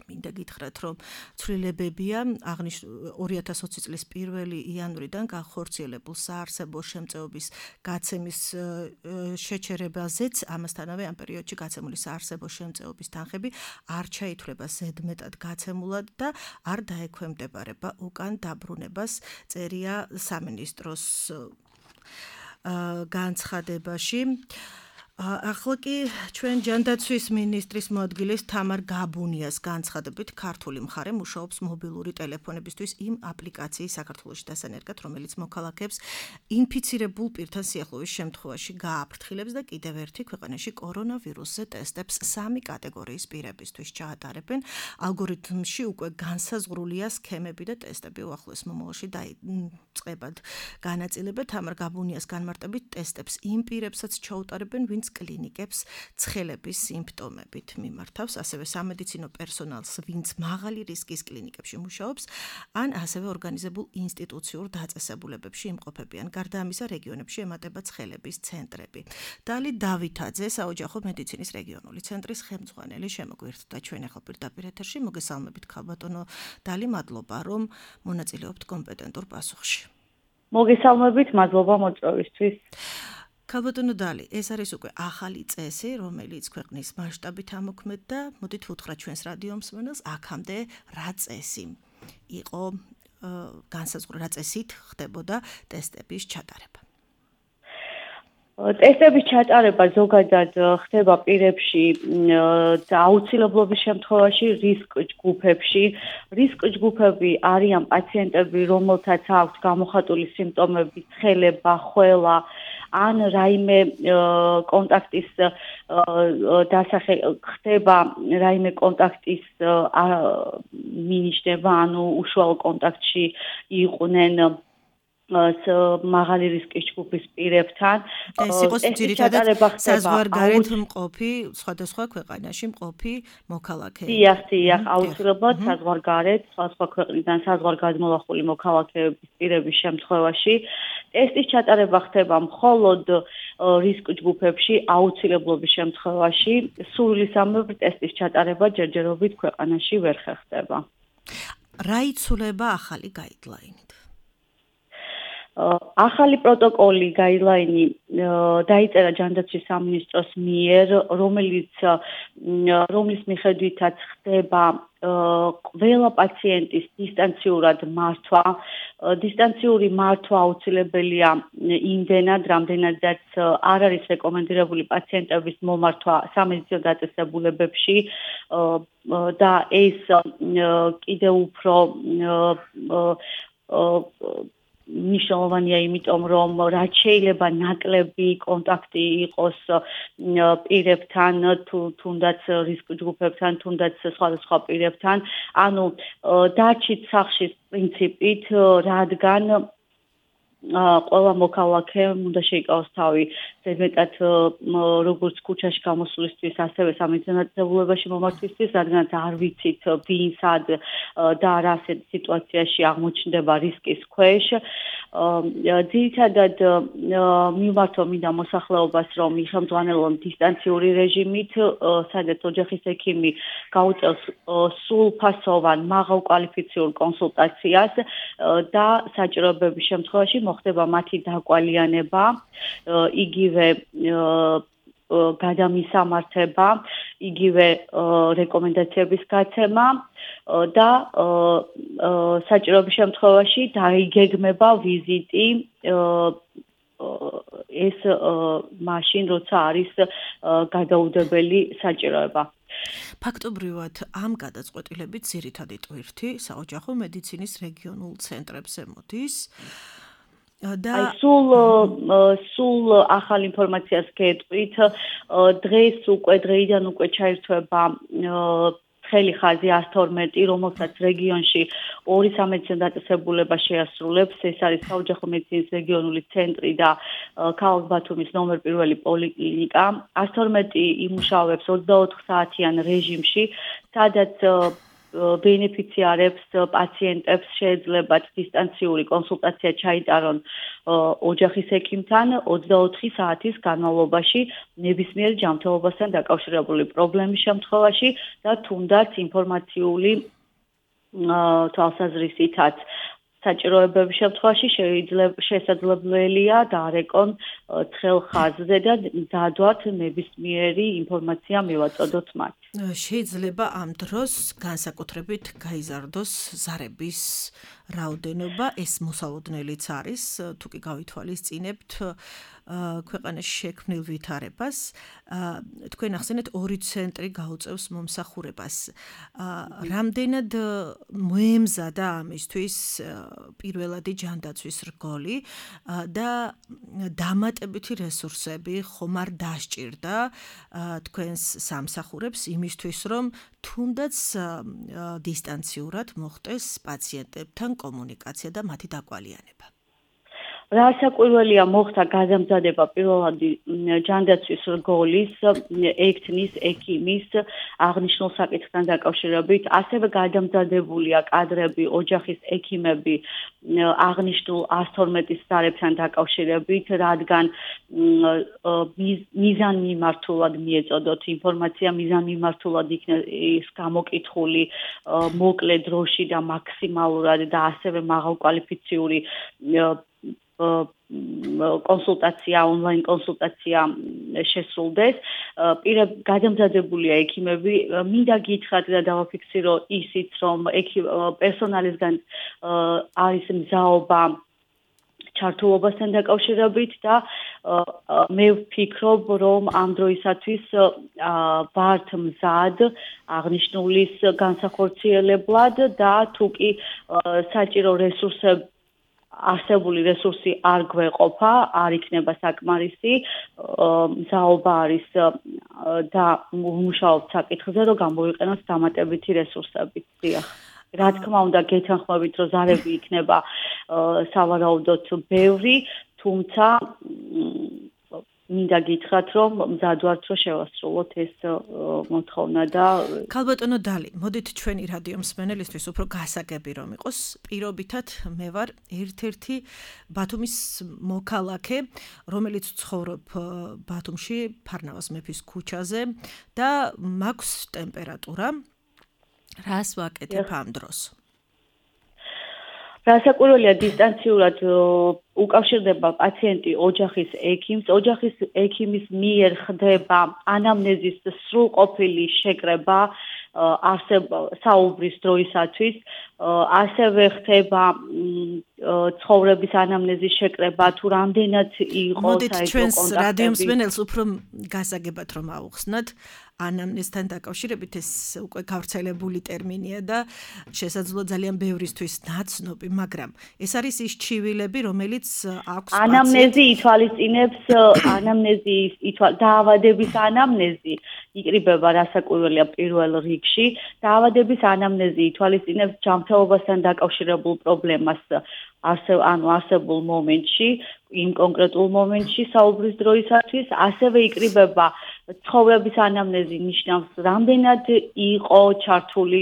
მინდა გითხრათ, რომ ცვლილებებია 2020 წლის 1 იანვრიდან განხორციელებულ საარსებო შემწეობის გაცემის შეჩერებაზეც, ამასთანავე ამ პერიოდში გაცემული საარსებო შემწეობის თანხები არ ჩაითვლება ზედმეტად გაცემულად და არ დაექვემდებარება უკან დაბრუნებას, წერია სამინისტროს განცხადებაში. ახლა კი ჩვენ ჯანდაცვის მინისტრის მოადგილის თამარ გაბუნიას განცხადებით ქართული მხარე მუშაობს მობილური ტელეფონებისთვის იმ აპლიკაციის საქართველოში დასანერგად, რომელიც მოქალაქეებს ინფიცირებულ პირთან სიახლოვის შემთხვევაში გააფრთხილებს და კიდევ ერთი ქვეყანაში კორონავირუსზე ტესტებს 3 კატეგორიის პირებისთვის ჩაატარებენ. ალგორითმში უკვე განსაზღვრულია სქემები და ტესტები უახლოეს მომავალში დაიწყებად. განაწილებად თამარ გაბუნიას განმარტებით ტესტებს იმ პირებსაც ჩაუტარებენ, ვინც კლინიკებს ცხელების სიმპტომებით მიმართავს, ასევე სამედიცინო პერსონალს, ვინც მაღალი რისკის კლინიკებში მუშაობს, ან ასევე ორგანიზებულ ინსტიტუციურ დაწესებულებებში იმყოფებიან. გარდა ამისა, რეგიონებში ემატება ცხელების ცენტრები. დალი დავითაძე, საოჯახო მედიცინის რეგიონული ცენტრის ხელმძღვანელი შემოგვიერთდა ჩვენ ახლა პირდაპირ ეთერში. მოგესალმებით ქალბატონო დალი, მადლობა რომ მონაწილეობთ კომპეტენტურ პასუხში. მოგესალმებით, მადლობა მოწვევისთვის. ქალბატონო დალი, ეს არის უკვე ახალი წესი, რომელიც ქვეყნის მასშტაბით ამოქმედდა. მოდით ვუთხრათ ჩვენს რადიო მსმენელს, აქამდე რა წესი იყო განსაზღვრა, რა წესით ხდებოდა ტესტების ჩატარება? ტესტების ჩატარება ზოგადად ხდება პირებში აუცილებლობის შემთხვევაში რისკ ჯგუფებში. რისკ ჯგუფები არიან პაციენტები, რომელთაც აქვს გამოხატული სიმპტომები, ცხელება, ხველა, ან რაიმე კონტაქტის ხდება რაიმე კონტაქტის მინიშნება, ანუ უშუალო კონტაქტში იყვნენ მაღალი რისკის ჯგუფის პირებთან. ეს იყოს ძირითადად საზღვარგარეთ მყოფი, სხვადასხვა ქვეყანაში მყოფი მოქალაქეები. დიახ, აუცილებლად საზღვარგარეთ, სხვა ქვეყნიდან საზღვარგაზმოლახული მოქალაქეების პირების შემთხვევაში ტესტის ჩატარება ხდება მხოლოდ რისკ ჯგუფებში, აუცილებლობის შემთხვევაში, სულისამებრ ტესტის ჩატარება ჯერჯერობით ქვეყანაში ვერ ხერხდება. რა იცვლება ახალი გაიდლაინით? ახალი პროტოკოლი გაიდლაინი დაიწერა ჯანდაცვის სამინისტროს მიერ, რომლის მიხედვითაც ხდება ყველა პაციენტის დისტანციურად მართვა. დისტანციური მართვა აუცილებელია იმდენად, რამდენადაც არ არის რეკომენდირებული პაციენტების მომართვა სამედიცინო დაწესებულებებში და ეს კიდევ უფრო მნიშვნელოვანია, იმიტომ რომ რაც შეიძლება ნაკლები კონტაქტი იყოს პირებთან, თუნდაც რისკ ჯგუფებთან, თუნდაც სხვადასხვა პირებთან. ანუ დარჩით სახში პრინციპით, რადგან ყველა მოქალაქემ უნდა შეიკავოს თავი ზედმეტად როგორც ქუჩაში გამოსვლისთვის, ასევე სამედიცინო დაწესებულებაში მომართვისთვის, რადგან არ ვიცით ვინ სად და რა სიტუაციაში აღმოჩნდება რისკის ქვეშ. ძირითადად მიმართვა მინდა მოსახლეობას, რომ იხელმძღვანელონ დისტანციური რეჟიმით, სადაც ოჯახის ექიმი გაუწევს სრულფასოვან მაღალკვალიფიციურ კონსულტაციას და საჭიროებების შემთხვევაში მოხდება მათი დაკვალიანება, იგივე გადამისამართება, იგივე რეკომენდაციების გაცემა და საჭიროების შემთხვევაში დაიგეგმება ვიზიტი ეს მაშინ, როცა არის გადაუდებელი საჭიროება. ფაქტობრივად ამ გადაწყვეტილებით ძირითადი ტვირთი საოჯახო მედიცინის რეგიონულ ცენტრებზე მოდის. და სულ ახალ ინფორმაციას გეტყვით, დღეიდან უკვე ჩაირთვება ცხელი ხაზი 112, რომელსაც რეგიონში 2 სამედიცინო დაწესებულება შეასრულებს. ეს არის საოჯახო მედიცინის რეგიონული ცენტრი და ქალაქ ბათუმის ნომერ 1 პოლიკლინიკა. 112 იმუშავებს 24 საათიან რეჟიმში, სადაც ბენეფიციარებს, პაციენტებს შეეძლებათ დისტანციური კონსულტაცია ჩაიტარონ ოჯახის ექიმთან 24 საათის განმავლობაში ნებისმიერ ჯანმრთელობასთან დაკავშირებული პრობლემის შემთხვევაში და თუნდაც ინფორმაციული თვალსაზრისითაც საჭიროებების შემთხვევაში შესაძლებელია დაარეკონ ცხელ ხაზზე და დადვათ ნებისმიერი ინფორმაცია მივაწოდოთ მათ. შეიძლება ამ დროს განსაკუთრებით გაიზარდოს ზარების რაოდენობა, ეს მოსალოდნელიც არის, თუ კი გავითვალისწინებთ ქვეყანაში შექმნილ ვითარებას. თქვენ ახსენეთ 2 ცენტრი გაუწევს მომსახურებას. რამდენად მოემზადა ამისთვის პირველადი ჯანდაცვის რგოლი და დამატებითი რესურსები ხომ არ დასჭირდა თქვენს სამსახურებს იმისთვის, რომ თუნდაც დისტანციურად მოხდეს პაციენტებთან კომუნიკაცია და მათი დაკვალიანება. რასაკვირველია მოხდა გადამზადება პირველადი ჯანდაცვის რგოლის, ექთნის, ექიმის აღნიშნულ საკითხთან დაკავშირებით, ასევე გადამზადებულია კადრები, ოჯახის ექიმები აღნიშნულ 112-ის ზარებთან დაკავშირებით, რადგან მიზანმიმართულად მიეწოდოთ ინფორმაცია, მიზანმიმართულად იქნეს გამოკითხული მოკლე დროში და მაქსიმალურად და ასევე მაღალკვალიფიციური კონსულტაცია, ონლაინ კონსულტაცია შესრულდეს. გადამზადებულია ექიმები. მინდა გითხრათ და დავაფიქსირო ისიც, რომ პერსონალისგან არის მზაობა ჩართულობასთან დაკავშირებით და მე ვფიქრობ, რომ ამ დროისათვის ვართ მზად აღნიშნულის განსახორციელებლად და თუ კი საჭირო რესურსები არსებული რესურსი არ გვეყოფა, არ იქნება საკმარისი, მზაობა არის და მუშაობთ საკითხზე, რომ გამოვიყენოთ დამატებითი რესურსები. დიახ. რა თქმა უნდა, გეთანხმებით, რომ ზარები იქნება სავარაუდოდ ბევრი, თუმცა მინდა გითხრათ, რომ მზად ვართ, რომ შევასრულოთ ეს მოთხოვნა და ქალბატონო დალი, მოდით ჩვენი რადიო მსმენელისთვის უფრო გასაგები რომ იყოს, პირობითად მე ვარ ერთ-ერთი ბათუმის მოქალაქე, რომელიც ცხოვრობ ბათუმში, ფარნავაზ მეფის ქუჩაზე და მაქვს ტემპერატურა. რას ვაკეთებ ამ დროს? რასაკვირველია დისტანციურად უკავშირდება პაციენტი ოჯახის ექიმს, ოჯახის ექიმის მიერ ხდება ანამნეზის სრულყოფილი შეკრება საუბრის დროისათვის, ასევე ხდება ცხოვრების ანამნეზის შეკრება, თუ რამდენად იყო მოდით ჩვენს რადიო მსმენელს უფრო გასაგებად რომ ავუხსნათ. ანამნეზთან დაკავშირებით ეს უკვე გავრცელებული ტერმინია და შესაძლოა ძალიან ბევრისთვის ნაცნობი, მაგრამ ეს არის ის ჩივილები, რომელიც აქვს ანამნეზი ითვალისწინებს დაავადების ანამნეზი იკრიბება რასაკვირველია პირველ რიგში. დაავადების ანამნეზი ითვალისწინებს ჯანმრთელობასთან დაკავშირებულ პრობლემას არსებულ მომენტში, იმ კონკრეტულ მომენტში საუბრის დროისათვის, ასევე იკრიბება ცხოვრების ანამნეზი ნიშნავს, რამდენად იყო ჩართული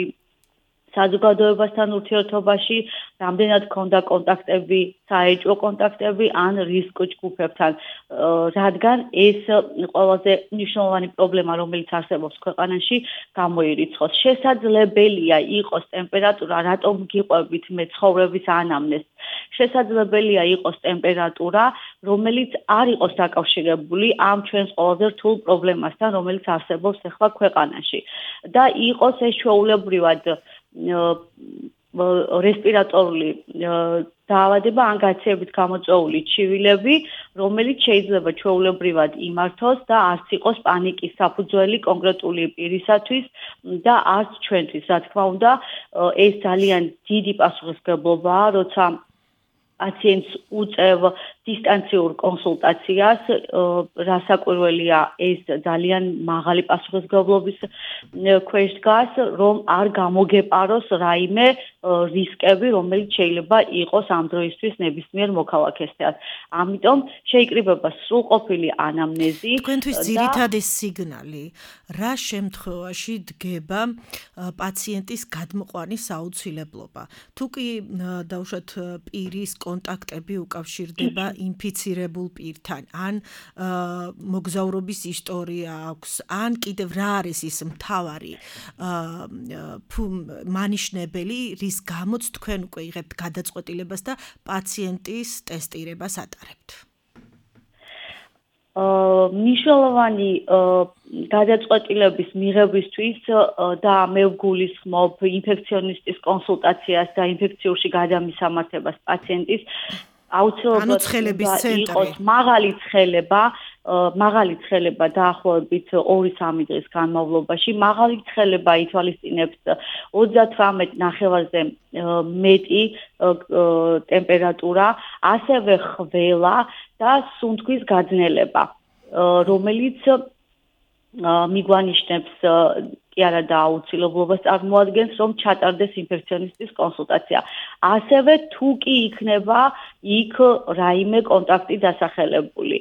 საზოგადოებასთან ურთიერთობაში, რამდენად ჰქონდა კონტაქტები, საეჭვო კონტაქტები ან რისკ ჯგუფებთან, რადგან ეს ყველაზე მნიშვნელოვანი პრობლემა, რომელიც არსებობს ქვეყანაში, გამოირიცხოს. შესაძლებელია იყოს ტემპერატურა, რატომ გიყვებით მე ცხოვრების ანამნეზს? შესაძლებელია იყოს ტემპერატურა, რომელიც არ იყოს დაკავშირებული ამ ჩვენს ყველაზე რთულ პრობლემასთან, რომელიც არსებობს ახლა ქვეყანაში და იყოს ეს ჩვეულებრივად რესპირატორული დაავადება ან გაცივებით გამოწვეული ჩივილები, რომელიც შეიძლება ჩვეულებრივად იმართოს და არც იყოს პანიკის საფუძველი კონკრეტული პირისათვის და არც ჩვენთვის. რა თქმა უნდა, ეს ძალიან დიდი პასუხისმგებლობაა, როცა პაციენტს უწევ დისტანციურ კონსულტაციას, რასაკვირველია ეს ძალიან მაღალი პასუხისმგებლობის ქვეშ დგას, რომ არ გამოგეპაროს რაიმე რისკები, რომელიც შეიძლება იყოს ამ დროისთვის ნებისმიერ მოქალაქესთან. ამიტომ შეიკრიბება სრულყოფილი ანამნეზი. თქვენთვის ძირითადი სიგნალი რა შემთხვევაში დგება პაციენტის გადმოყვანის აუცილებლობა? თუ კი დავუშვათ პირის კონტაქტები უკავშირდება ინფიცირებულ პირთან, ან მოგზაურობის ისტორია აქვს, ან კიდევ რა არის ის მთავარი მანიშნებელი, რის გამოც თქვენ უკვე იღებთ გადაწყვეტილებას და პაციენტის ტესტირებას ატარებთ? მნიშვნელოვანი გადაწყვეტილების მიღებისთვის და მე ვგულისხმობ ინფექციონისტის კონსულტაციას და ინფექციურში გადამისამართებას პაციენტის აუცილებლად იყოს მაღალი ცხელება დაახლოებით 2-3 დღის განმავლობაში. მაღალი ცხელება ითვალისწინებს 38 ნახევარზე მეტი ტემპერატურა, ასევე ხველა და სუნთქვის გაძნელება, რომელიც მიგვანიშნებს კი არა და აუცილებლობას წარმოადგენს, რომ ჩატარდეს ინფექციონისტის კონსულტაცია. ასევე თუ კი იქნება იქ რაიმე კონტაქტი დასახელებული.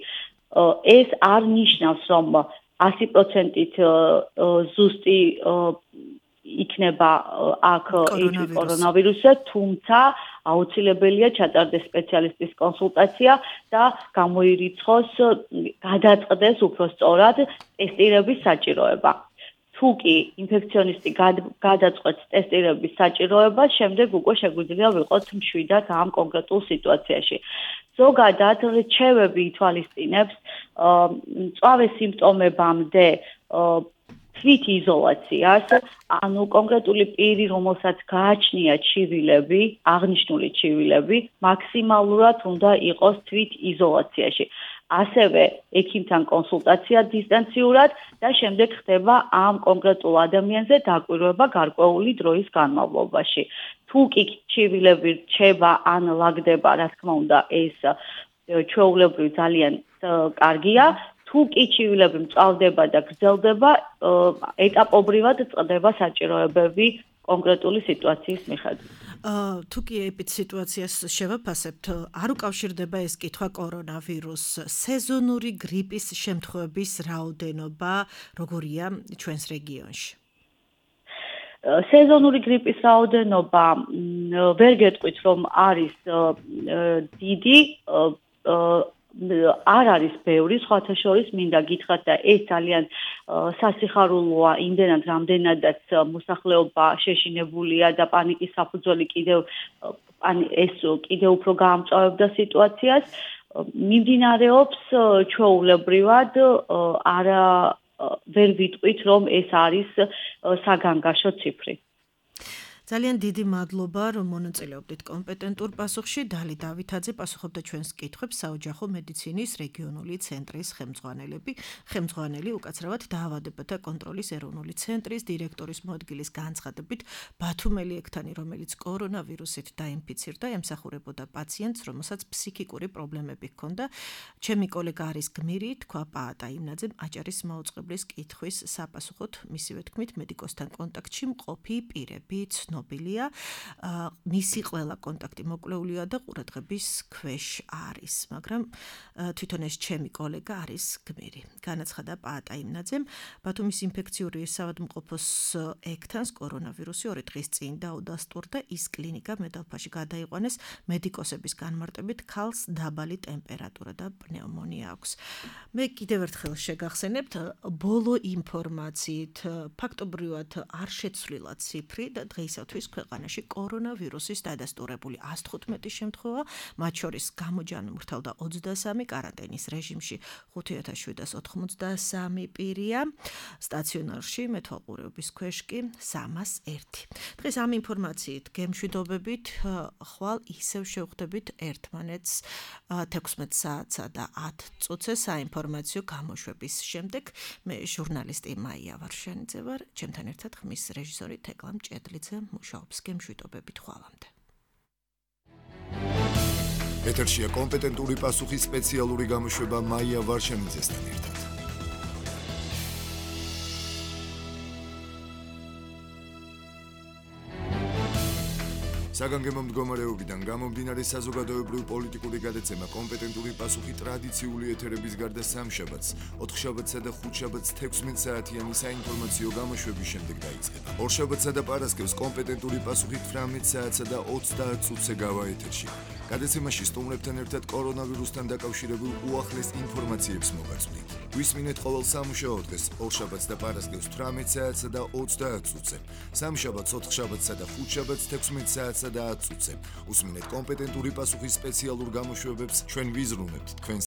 ეს არ ნიშნავს, რომ 100%-ით ზუსტი იქნება აქ კორონავირუსი, თუმცა აუცილებელია ჩატარდეს სპეციალისტის კონსულტაცია და გამოირიცხოს, გადაწყდეს უფრო სწორად ტესტირების საჭიროება. თუ კი ინფექციონისტი გადაწყვეტს ტესტირების საჭიროებას, შემდეგ უკვე შეგვიძლია ვიყოთ მშვიდად ამ კონკრეტულ სიტუაციაში. ზოგადად რჩევები ითვალისწინებს მწვავე სიმპტომებამდე თვით იზოლაციას, ანუ კონკრეტული პირი, რომელსაც გააჩნია ჩივილები, აღნიშნული ჩივილები, მაქსიმალურად უნდა იყოს თვით იზოლაციაში. ასევე ექიმთან კონსულტაცია დისტანციურად და შემდეგ ხდება ამ კონკრეტულ ადამიანზე დაკვირვება გარკვეული დროის განმავლობაში. თუ კი ჩივილები რჩება ან ლაგდება, რა თქმა უნდა, ეს ჩვეულებრივ ძალიან კარგია. თუ კი ჩივილები მწვავდება და გრძელდება, ეტაპობრივად წყდება საჭიროებები კონკრეტული სიტუაციის მიხედვით. თუ კი ეპიდ სიტუაციას შევაფასებთ, არ უკავშირდება ეს კითხვა კორონავირუსს, სეზონური გრიპის შემთხვევების რაოდენობა როგორია ჩვენს რეგიონში? სეზონური გრიპის რაოდენობა ვერ გეტყვით, რომ არის დიდი, არ არის ბევრი, სხვათა შორის მინდა გითხრათ და ეს ძალიან სასიხარულოა იმდენად, რამდენადაც მოსახლეობა შეშინებულია და პანიკის საფუძველი კიდევ უფრო გაამწვავებდა სიტუაციას. მიმდინარეობს ჩვეულებრივად ვერ ვიტყვით, რომ ეს არის საგანგაშო ციფრი. ძალიან დიდი მადლობა, რომ მონაწილეობდით კომპეტენტურ პასუხში. დალი დავითაძე პასუხობდა ჩვენს კითხვებს საოჯახო მედიცინის რეგიონული ცენტრის ხელმძღვანელი, უკაცრავად დაავადებათა კონტროლის ეროვნული ცენტრის დირექტორის მოადგილის განცხადებით, ბათუმ ელიექტანი, რომელიც კორონავირუსით დაინფიცირდა, ემსახურებოდა პაციენტს, რომელსაც ფსიქიკური პრობლემები ჰქონდა. ჩემი კოლეგა არის გმირი, თქვა პაატა იმნაძემ აჭარის მაუწყებლის კითხვის საპასუხოდ, მისივე თქმით, მედიკოსთან კონტაქტში მყოფი პირები ცნობილია, მისი ყველა კონტაქტი მოკლეულია და ყურადღების ქვეშ არის, მაგრამ თვითონ ეს ჩემი კოლეგა არის გმირი. განაცხადა პაატა იმნაძემ, ბათუმის ინფექციური საავადმყოფოს ექთანს კორონავირუსი 2 დღის წინ დაუდასტურდა, ის კლინიკა მედალფაში გადაიყვანეს, მედიკოსების განმარტებით ქალს დაბალი ტემპერატურა და პნევმონია აქვს. მე კიდევ ერთხელ შეგახსენებთ, ბოლო ინფორმაციით ფაქტობრივად არ შეცვლილა ციფრი და დღეისათვის ქვეყანაში კორონავირუსის დადასტურებული 115 შემთხვევა, მათ შორის გამოჯანმრთელდა 23, კარანტინის რეჟიმში 5793 პირია, სტაციონარში მეთვალყურეობის ქვეშ კი 301. დღეს ამ ინფორმაციით გემშვიდობებით, ხვალ ისევ შევხვდებით ერთმანეთს 16 საათსა და 10 წუთზე საინფორმაციო გამოშვების შემდეგ. მე ჟურნალისტი მაია ვარშანიძე ვარ, ჩემთან ერთად ხმის რეჟისორი თეკლა მჭედლიძე მუშაობს. გემშვიდობებით ხვალამდე. ეთერშია კომპეტენტური პასუხის სპეციალური გამოშვება მაია ვარშანიძესთან ერთად. საგანგებო მდგომარეობიდან გამომდინარე საზოგადოებრივ პოლიტიკური გადაცემა კომპეტენტური პასუხი ტრადიციული ეთერების გარდა სამშაბათს, 4შაბათსა და 5შაბათს 16 საათიანი საინფორმაციო გამოშვების შემდეგ დაიწყება. ორშაბათსა და პარასკევს კომპეტენტური პასუხი 18 საათსა და 30 წუთზე გავა ეთერში. გადაცემაში სტუმრებთან ერთად კორონავირუსთან დაკავშირებულ უახლეს ინფორმაციებს მოგაწვდით. გვისმინეთ ყოველ სამუშაო დღეს, ორშაბათს და პარასკევს 18 საათსა და 30 წუთზე. სამშაბათს, 4შაბათსა და 5შაბათს 16 საათსა და 10 წუთზე. უსმინეთ კომპეტენტური პასუხის სპეციალურ გამოშვებებს, ჩვენ ვიზრუნებთ თქვენ